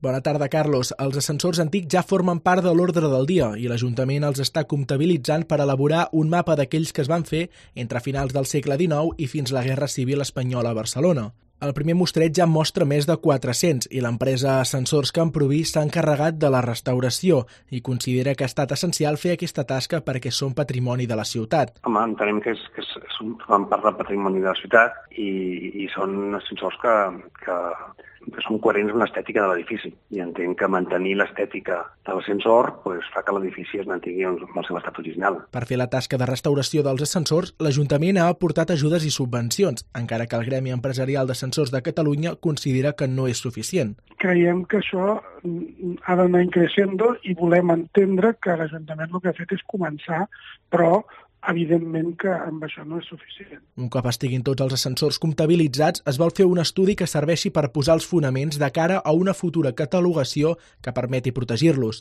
Bona tarda, Carlos. Els ascensors antics ja formen part de l'ordre del dia i l'Ajuntament els està comptabilitzant per elaborar un mapa d'aquells que es van fer entre finals del segle XIX i fins la Guerra Civil Espanyola a Barcelona. El primer mostreig ja mostra més de 400 i l'empresa Ascensors Camproví s'ha encarregat de la restauració i considera que ha estat essencial fer aquesta tasca perquè són patrimoni de la ciutat. Home, entenem que fan part del patrimoni de la ciutat i són ascensors que són coherents amb l'estètica de l'edifici. I entenc que mantenir l'estètica de l'ascensor fa que l'edifici es mantingui amb el seu estat original. Per fer la tasca de restauració dels ascensors, l'Ajuntament ha aportat ajudes i subvencions, encara que el Gremi Empresarial d'Ascensors de Catalunya considera que no és suficient. Creiem que això ha d'anar creixent i volem entendre que l'Ajuntament el que ha fet és començar, però evidentment que amb això no és suficient. Un cop estiguin tots els ascensors comptabilitzats, es vol fer un estudi que serveixi per posar els fonaments de cara a una futura catalogació que permeti protegir-los.